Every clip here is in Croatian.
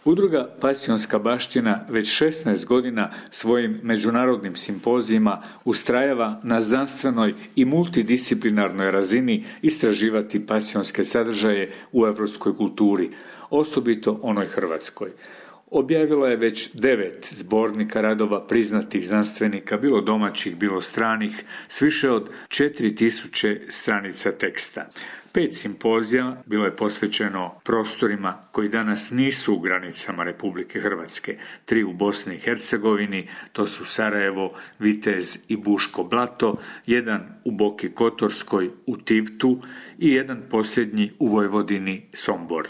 Udruga Pasionska baština već 16 godina svojim međunarodnim simpozijima ustrajava na znanstvenoj i multidisciplinarnoj razini istraživati pasionske sadržaje u europskoj kulturi, osobito onoj hrvatskoj. Objavila je već 9 zbornika radova priznatih znanstvenika, bilo domaćih, bilo stranih, s više od 4000 stranica teksta. 5 simpozija bilo je posvećeno prostorima koji danas nisu u granicama Republike Hrvatske. 3 u Bosni i Hercegovini, to su Sarajevo, Vitez i Buško Blato, 1 u Boki Kotorskoj u Tivtu i 1 posljednji u Vojvodini, Sombor.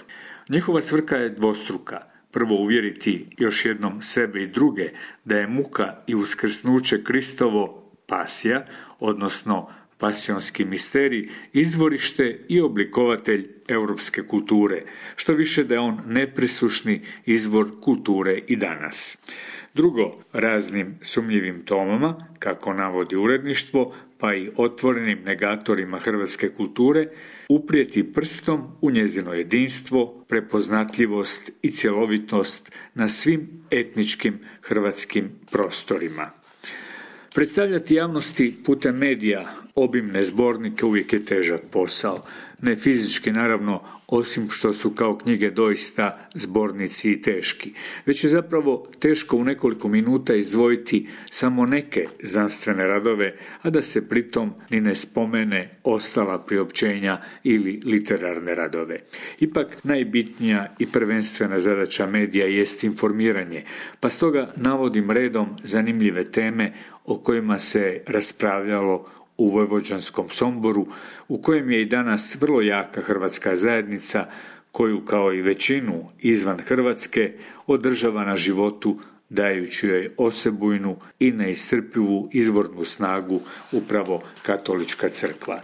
Njihova svrha je dvostruka. Prvo, uvjeriti još jednom sebe i druge da je muka i uskrsnuće Kristovo pasija, odnosno pasionski misterij, izvorište i oblikovatelj europske kulture, što više da je on neprisušni izvor kulture i danas. Drugo, raznim sumnjivim tomama, kako navodi uredništvo, pa i otvorenim negatorima hrvatske kulture, uprijeti prstom u njezino jedinstvo, prepoznatljivost i cjelovitost na svim etničkim hrvatskim prostorima. Predstavljati javnosti putem medija obimne zbornike uvijek je težak posao, ne fizički naravno, osim što su kao knjige doista zbornici i teški, već je zapravo teško u nekoliko minuta izdvojiti samo neke znanstvene radove, a da se pritom ni ne spomene ostala priopćenja ili literarne radove. Ipak najbitnija i prvenstvena zadaća medija jest informiranje, pa stoga navodim redom zanimljive teme o kojima se raspravljalo u vojvođanskom Somboru, u kojem je i danas vrlo jaka hrvatska zajednica, koju kao i većinu izvan Hrvatske održava na životu, dajući joj osebujnu i neiscrpivu izvornu snagu upravo katolička crkva.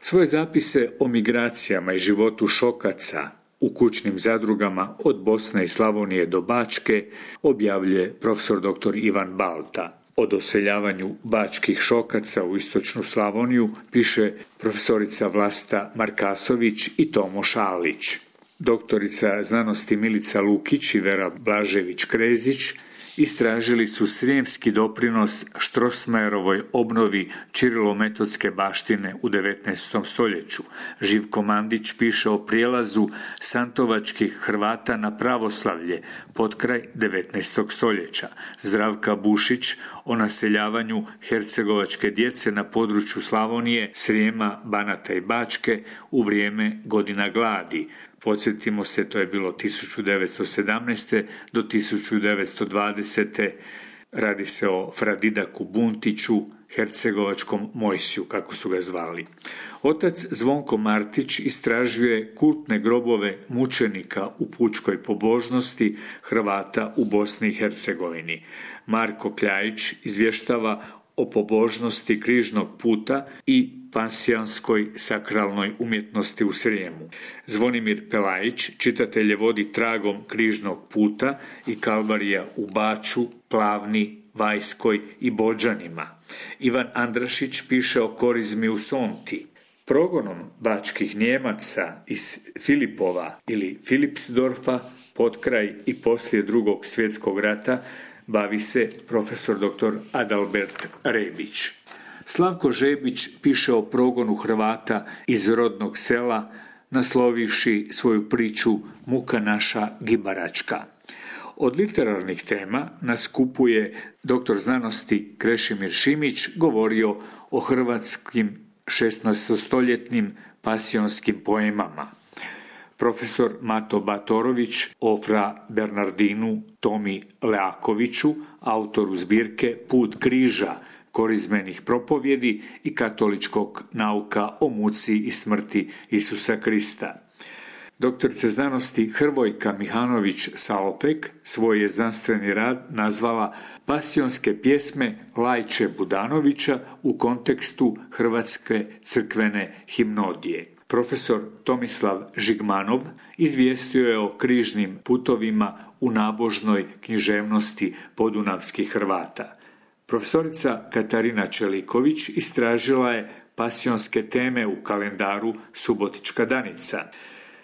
Svoje zapise o migracijama i životu šokaca u kućnim zadrugama od Bosne i Slavonije do Bačke objavljuje profesor dr. Ivan Balta. O doseljavanju bačkih šokaca u istočnu Slavoniju piše profesorica Vlasta Markasović i Tomo Šalić. Doktorica znanosti Milica Lukić i Vera Blažević-Krezić istražili su srijemski doprinos Strossmayerovoj obnovi Čirilometodske baštine u 19. stoljeću. Živko Mandić piše o prijelazu santovačkih Hrvata na pravoslavlje potkraj 19. stoljeća. Zdravka Bušić o naseljavanju hercegovačke djece na području Slavonije, Srijema, Banata i Bačke u vrijeme godina gladi. Podsjetimo se, to je bilo 1917. do 1920. Radi se o Fradidaku Buntiću, hercegovačkom Mojsiju, kako su ga zvali. Otac Zvonko Martić istražuje kultne grobove mučenika u pučkoj pobožnosti Hrvata u Bosni i Hercegovini. Marko Kljajić izvještava o pobožnosti križnog puta i pansionskoj sakralnoj umjetnosti u Srijemu. Zvonimir Pelajić čitatelje vodi tragom križnog puta i kalvarija u Baču, Plavni, Vajskoj i Bođanima. Ivan Andrašić piše o korizmi u Sonti. Progonom bačkih Njemaca iz Filipova ili Filipsdorfa potkraj i poslije Drugog svjetskog rata bavi se profesor dr. Adalbert Rebić. Slavko Žebić piše o progonu Hrvata iz rodnog sela, naslovivši svoju priču Muka naša gibaračka. Od literarnih tema na skupu je dr. znanosti Krešimir Šimić govorio o hrvatskim 16-stoljetnim pasionskim poemama. Profesor Mato Batorović o fra Bernardinu Tomi Leakoviću, autoru zbirke Put križa, korizmenih propovjedi i katoličkog nauka o muci i smrti Isusa Krista. Doktorica znanosti Hrvojka Mihanović Salopek svoj je znanstveni rad nazvala Pasionske pjesme Lajče Budanovića u kontekstu hrvatske crkvene himnodije. Profesor Tomislav Žigmanov izvijestio je o križnim putovima u nabožnoj književnosti podunavskih Hrvata. Profesorica Katarina Čeliković istražila je pasionske teme u kalendaru Subotička danica.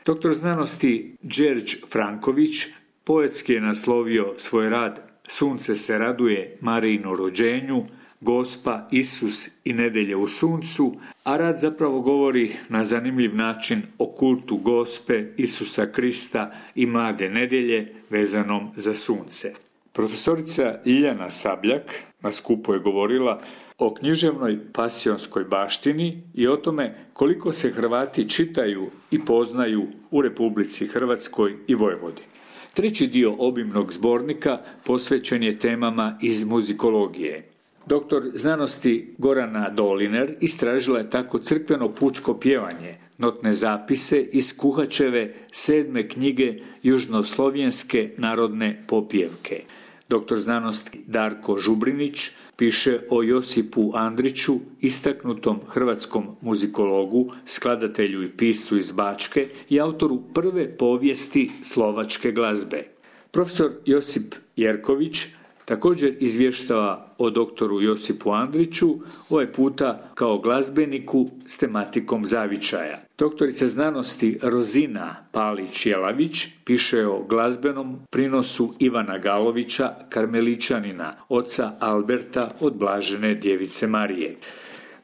Doktor znanosti Đerđ Franković Poetski je naslovio svoj rad Sunce se raduje Marijinu rođenju, Gospa, Isus i nedjelje u suncu, a rad zapravo govori na zanimljiv način o kultu Gospe, Isusa Krista i mlade nedjelje vezanom za sunce. Profesorica Ljiljana Sabljak na skupu je govorila o književnoj pasionskoj baštini i o tome koliko se Hrvati čitaju i poznaju u Republici Hrvatskoj i Vojvodini. Treći dio obimnog zbornika posvećen je temama iz muzikologije. Doktor znanosti Gorana Doliner istražila je tako crkveno pučko pjevanje, notne zapise iz Kuhačeve 7. knjige južnoslovenske narodne popjevke. Doktor znanosti Darko Žubrinić piše o Josipu Andriću, istaknutom hrvatskom muzikologu, skladatelju i piscu iz Bačke i autoru prve povijesti slovačke glazbe. Profesor Josip Jerković također izvještava o doktoru Josipu Andriću, ovaj puta kao glazbeniku s tematikom zavičaja. Doktorica znanosti Rozina Palić-Jelavić piše o glazbenom prinosu Ivana Galovića, karmeličanina, oca Alberta od Blažene djevice Marije.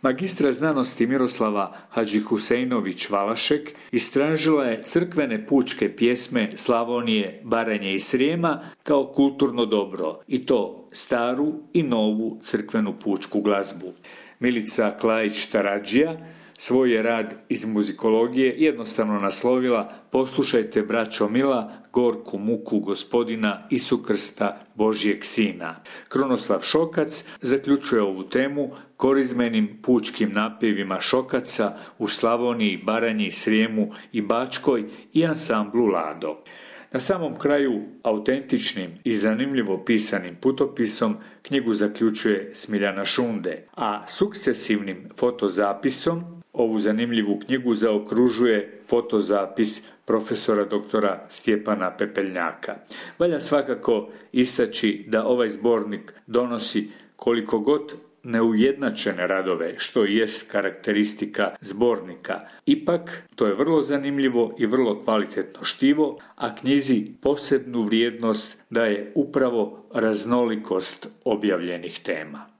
Magistra znanosti Miroslava Hadžihuseinović-Valašek istražila je crkvene pučke pjesme Slavonije, Baranje i Srijema kao kulturno dobro, i to staru i novu crkvenu pučku glazbu. Milica Klajić-Taradžija svoj je rad iz muzikologije jednostavno naslovila Poslušajte, braćo mila, gorku muku gospodina Isukrsta Božjeg sina. Krunoslav Šokac zaključuje ovu temu korizmenim pučkim napjevima Šokaca u Slavoniji, Baranji, Srijemu i Bačkoj i ansamblu Lado. Na samom kraju, autentičnim i zanimljivo pisanim putopisom knjigu zaključuje Smiljana Šunde, a sukcesivnim fotozapisom ovu zanimljivu knjigu zaokružuje fotozapis profesora doktora Stjepana Pepeljnjaka. Valja svakako istaći da ovaj zbornik donosi koliko god neujednačene radove, što i jest karakteristika zbornika. Ipak, to je vrlo zanimljivo i vrlo kvalitetno štivo, a knjizi posebnu vrijednost daje upravo raznolikost objavljenih tema.